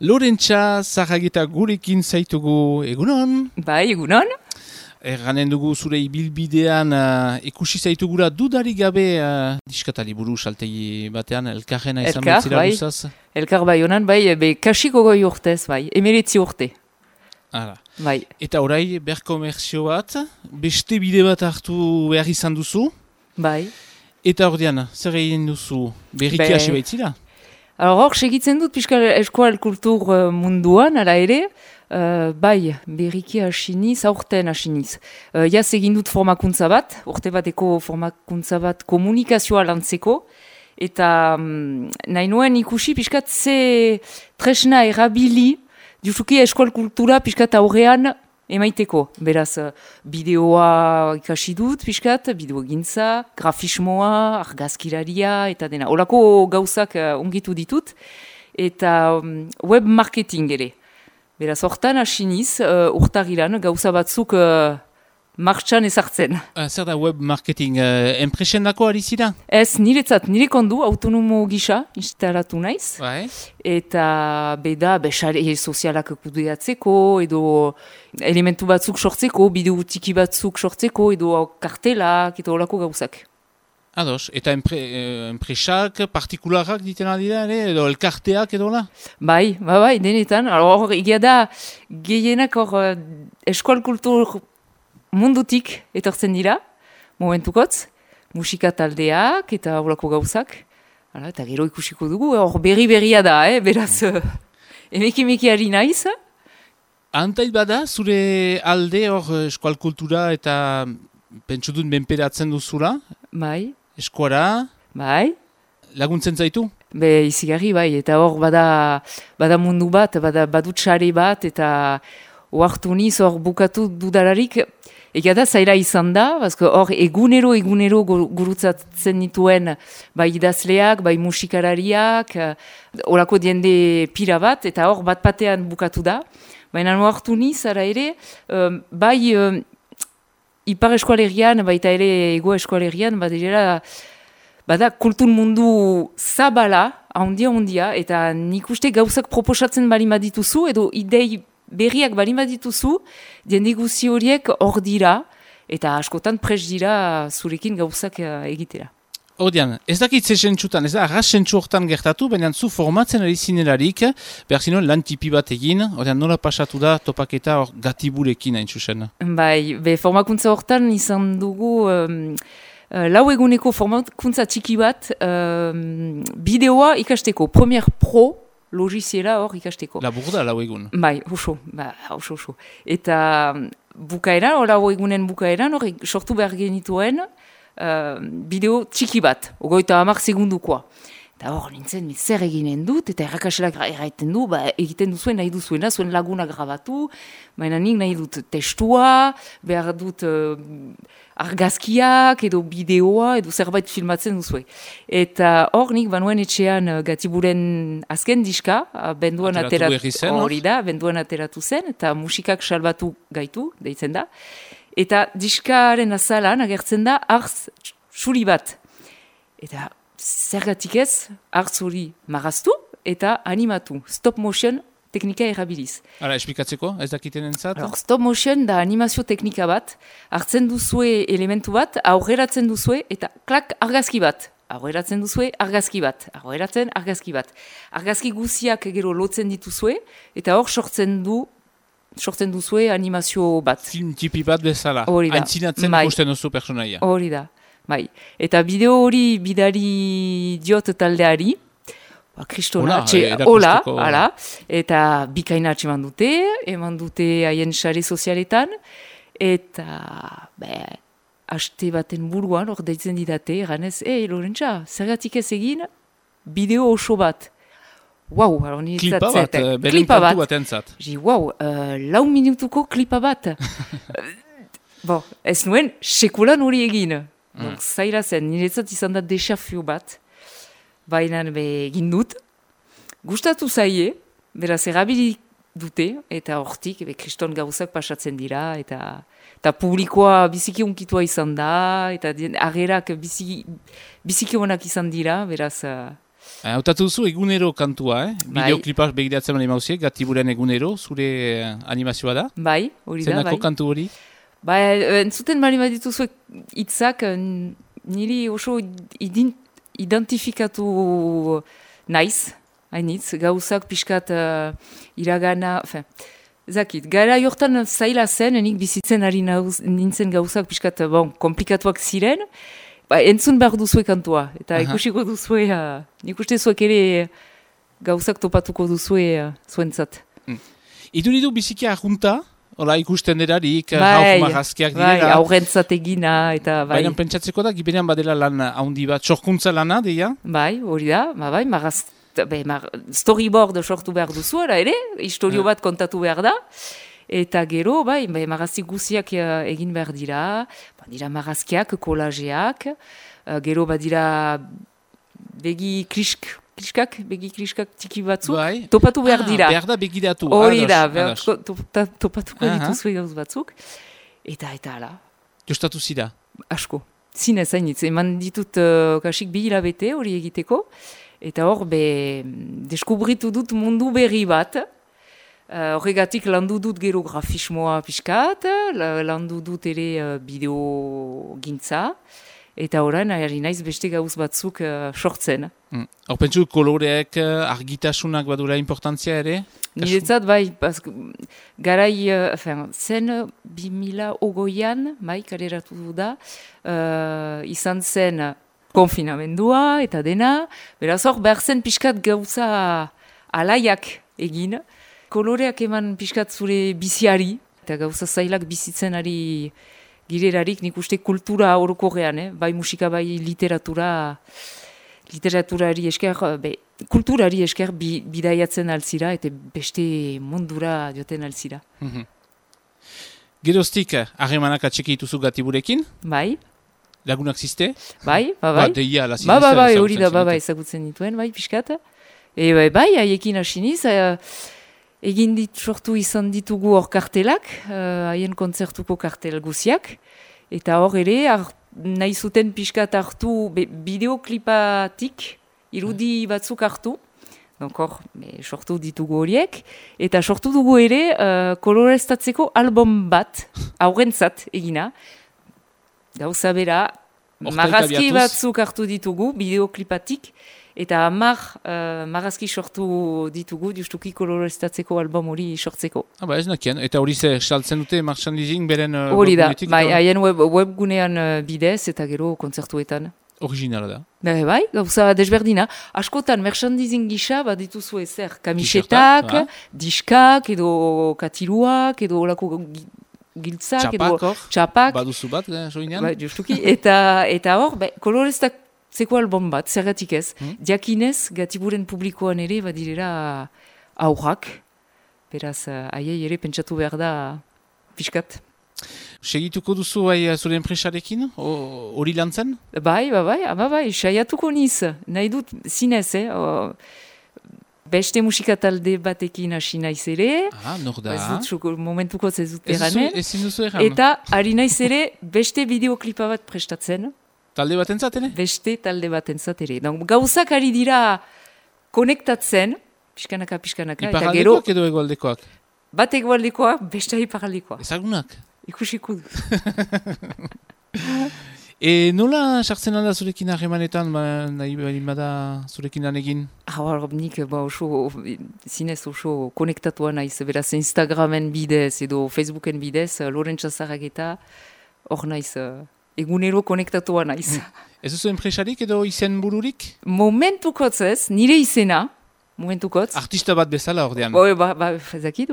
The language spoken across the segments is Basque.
Lorentza Zarrageta gurekin zaitugu egunon. Bai, egunon. Erranen dugu zure ibilbidean ikusi zaitugura dudarik gabe diskatali buru saltegi batean elkarrena izan betzira bai. guzaz. Elkar bai honan, bai, kasiko goi urtez, bai, 19 urte. Hala. Bai. Eta orai, berkomerzio bat, beste bide bat hartu behar izan duzu. Bai. Eta ordean, zer egin duzu berriki hasi baitzira? Hor, segitzen dut, pixka eskual kultur munduan, ala ere, bai, berriki hasiniz, aurten hasiniz. Jaz egin dut formakuntza bat, urte bateko formakuntza bat komunikazioa lantzeko, eta nahi nuen ikusi pixkat ze tresna erabili, justuki eskual kultura pixkat aurrean emaiteko. Beraz, bideoa ikasi dut pixkat, bideo egintza, grafismoa, argazkilaria, eta dena. Olako gauzak ongitu ditut, eta web marketing ere. Beraz, hortan hasiniz, urtagilan gauza batzuk martxan ezartzen. Zer da web marketing? Enpresen dako ari zira? Ez, nire kondu, autonomo gisa instalatu naiz. Bai. Eta beda, sare sozialak kudeatzeko, edo elementu batzuk sortzeko, bideo tiki batzuk sortzeko, edo kartelak, eta olako gauzak. Ados, eta enpresak, partikularak diten aldira, edo elkarteak edo la? Bai, denetan. Hor, egia da, gehienak hor eskual kultur mundutik etortzen dira, momentukotz, musika taldeak eta horako gauzak. Hala, eta gero ikusiko dugu, hor berria da, beraz, emeki ari naiz. Antait bada, zure alde hor eskual kultura eta pentsudun benperatzen duzula? Bai. Eskuara? Bai. Laguntzen zaitu? Izigarri, bai, eta hor bada mundu bat, badut sare bat, eta oartu niz hor bukatu dudalarik, ega da zaila izan da, hor egunero gurutzatzen nituen bai idazleak, bai musikalariak, horako diende pira bat, eta hor bat batean bukatu da. Baina oartu niz, ara ere, bai ipar eskualerian, baita ere ego eskualerian, bada kultur mundu zabala, handia, eta nik uste gauzak proposatzen bali madituzu, edo idei berriak bali madituzu, jende guzi horiek hor dira, eta askotan pres dira zurekin gauzak egitera. Odian, ez dakit ze sentsutan, ez da arras sentsu hortan gertatu, baina zu formatzen ari zinelarik, behar zinuen lan tipi bat egin, odian nola pasatu da topaketa hor gatiburekin hain zuzen? Bai, formakuntza hortan izan dugu lau eguneko formakuntza txiki bat bideoa ikasteko, Premiere Pro logiziela hor ikasteko. Labur da lau egun? Bai, oso. Eta bukaeran, lau egunen bukaeran, hor sortu behar genituen bideo txiki bat, 30 segundukoa. Eta hor nintzen, zer eginen dut, eta errakaselak erraiten du, egiten duzuen nahi duzuena, zuen laguna grabatu, baina nik nahi dut testua, behar dut argazkiak, edo bideoa, edo zerbait filmatzen duzue. Eta hor nik banuen etxean Gatiburen azken diska, benduan ateratu zen, eta musikak salbatu gaitu, deitzen da. Eta diskaren azalan agertzen da arz suri bat. Eta zergatik ez, arz hori maraztu eta animatu. Stop motion teknika erabiliz. Hala, esplikatzeko, ez dakiten entzat? Stop motion da animazio teknika bat, hartzen duzue elementu bat, aurreratzen duzue eta klak argazki bat. Aurreratzen duzue, argazki bat. Argazki guziak gero lotzen dituzue, eta hor sortzen duzue animazio bat. Film tipi bat bezala. Aintzinatzen ikusten duzu personaia. Hori da, bai. Eta bideo hori bidali diot taldeari, kristona, hola, eta bikaina eman dute haien sare sozialetan, eta haste baten buruan, hor deitzen didate, ganez, Lorentza, zergatik ez egin bideo oso bat. Wow, klipa bat entzat. Wow, 4 minutuko klipa bat. Ez nuen, sekulan hori egin. Zaila zen, niretzat izan da desafio bat. Baina egin dut. Gustatu zaie, beraz erabili dute, eta hortik, kriston gauzak pasatzen dira, eta publikoa biziki unkitua izan da, eta agerak biziki honak izan dira, beraz... Hautatu duzu egunero kantua, Bai. Bideoklipa begiratzen mani mauziek, Gatiburen egunero, zure animazioa da? Bai, hori da, Zenako bai. kantu hori? Ba, entzuten bali badituzuek hitzak niri oso identifikatu naiz, hainitz, gauzak pixkat iragana, zakit, gara jortan zaila zen, nik bizitzen ari nintzen gauzak pixkat, komplikatuak ziren, ba, entzun behar duzue kantua, eta ikusiko duzue, nik uste zuek ere gauzak topatuko duzue zuentzat. Iduridu biziki ahunta, hola ikusten derarik, hauk marazkiak direla. Bai, aurrentzat egina, eta bai. Baina pentsatzeko da, gibenean badela lan haundi bat, sorkuntza lana, deia? Bai, hori da, bai, storyboard sortu behar duzu, ere, historio bat kontatu behar da, eta gero, bai, marazki guziak egin behar dira, dira marazkiak, kolajeak, gero badira begi kriskak tiki batzuk, bai. Topatu behar dira. Behar da begiratu. Hori da, topatuko dituzu gauz batzuk, eta ala. Jostatu zira? Asko. Zinez hainitz, eman ditut kasik 2 hilabete hori egiteko, eta hor, deskubritu dut mundu berri bat, horregatik landu dut gero grafismoa pixkat, landu dut ere bideo gintza, eta orain ari naiz beste gauz batzuk sortzen. Hor pentsu koloreek, argitasunak badura importantzia ere? Niretzat bai, garai, zen 2020an, kaleratu da, izan zen konfinamendua eta dena, beraz hor behar zen pixkat gauza alaiak egin, koloreak eman pixkat zure biziari, eta gauza zailak bizitzen ari girerarik nik uste kultura orokorrean, bai musika, bai literaturari esker, kulturari esker bidaiatzen alzira, eta beste mundura joten alzira. Geroztik, harremanak atxeki dituzu Gatiburekin? Bai. Lagunak ziste? Bai. Deia, la zinezta. Bai, hori da, ezagutzen dituen, bai, pixkat. Bai, haiekin hasiniz, egin sortu izan ditugu hor kartelak, haien kontzertuko kartel guziak, eta hor ere, nahi zuten pixkat hartu bideoklipatik, irudi batzuk hartu, hor, sortu ditugu horiek, eta sortu dugu ere koloreztatzeko album bat, aurrentzat egina, gauza bera, marazki batzuk hartu ditugu, bideoklipatik, eta 10 marazki sortu ditugu, justuki koloreztatzeko album hori sortzeko. Ez nakien, eta hori ze saltzen dute marchandising beren hori da, haien webgunean bidez eta gero kontzertuetan. Originala da. Bai, gauza desberdina. Askotan, merchandising gisa, dituzu ezer, kamisetak, diskak, edo katiluak, edo olako giltzak, txapak. Baduzu bat, soinean? Bai, justuki. Eta hor, koloreztatzeko album bat, zergatik ez. Diakinez, Gatiburen publikoan ere, badirera aurrak. Beraz, aiei ere pentsatu behar da pixkat. Segituko duzu zure enpresarekin, hori lan zen? Bai, saiatuko niz. Nahi dut zinez, beste musika talde batekin hasi naiz ere. Nor da. Ez dut, momentuko ez dut eranen. Ezin duzu erran. Eta ari naiz ere beste bideoklipa bat prestatzen. Talde batentzat ere? Beste talde batentzat ere. Gauzak ari dira konektatzen, pixkanaka. Iparaldekoak edo egoaldekoak? Bat egoaldekoak, beste iparaldekoak. Ezagunak? Ikusiko du. Nola sartzen alda zurekin harremanetan, nahi bada zurekin lan egin? Nik zinez oso konektatua naiz, beraz Instagramen bidez edo Facebooken bidez, Lorentza Zarageta, hor naiz, egunero konektatua naiz. Ez duzu enpresarik edo izen bururik? Momentukotz ez, nire izena, momentukotz. Artista bat bezala ordean? Zakit,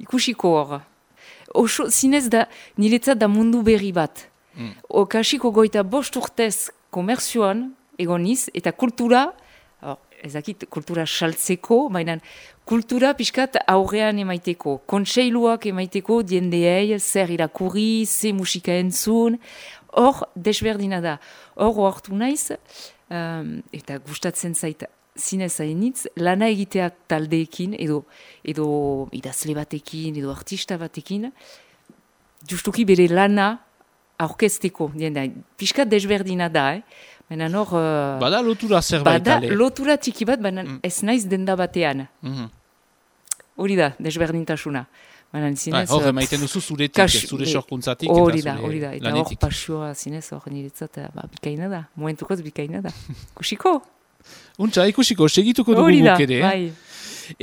ikusiko hor. Oso, zinez da, niretzat da mundu berri bat. Kasiko goita 5 urtez komerzioan egoniz, eta kultura, ezakit, kultura saltzeko, baina kultura pixkat aurrean emaiteko, kontseiluak emaiteko, diendeei, zer irakurri, ze musika entzun, hor desberdina da. Hor hartu naiz, eta gustatzen zaita. Zinez hainitz, lana egitea taldeekin, edo idazle batekin, edo artista batekin, justuki bere lana aurkezteko. Piskat desberdina da, Baina hor... Bada lotura zerbait, bada lotura txiki bat, baina ez naiz denda batean. Hori da, desberdintasuna. Baina zinez... Hor, emaiten duzu zuretik, zure sorkuntzatik. Hori da. Eta hor pasioa zinez, hor niretzat, bikaina da. Momentukoz bikaina da. Kusiko? Untxa, ikusiko, segituko dugu guk ere. Bai.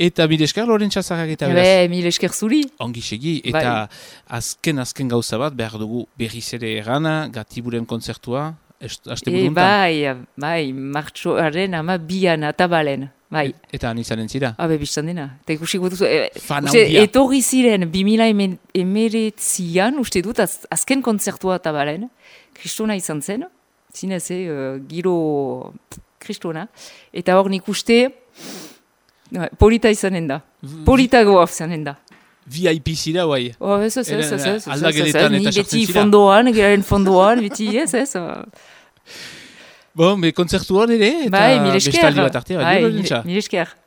Eta mil esker Lorentza Zarrageta beraz. Mil esker zuri. Ongi segi, eta azken gauza bat behar dugu berriz ere erana, Gatiburen kontzertua, haste buruntan. Bai, martxoaren 12an atabalen. Bai. Eta han izanen zira? Bistan dena. Eta ikusiko duzu, etorri ziren 2019an, uste dut, azken kontzertua atabalen, kristona izan zen, zinez, giro kristona, eta hor nik uste, polita izanen da. Politagoa izanen da. VIP zira, guai? Ez. Aldageletan eta sartzen zira. Fondoan, geraren fondoan, beti ez. Bon, kontzertuan ere, eta bestali bat artea. Mil esker.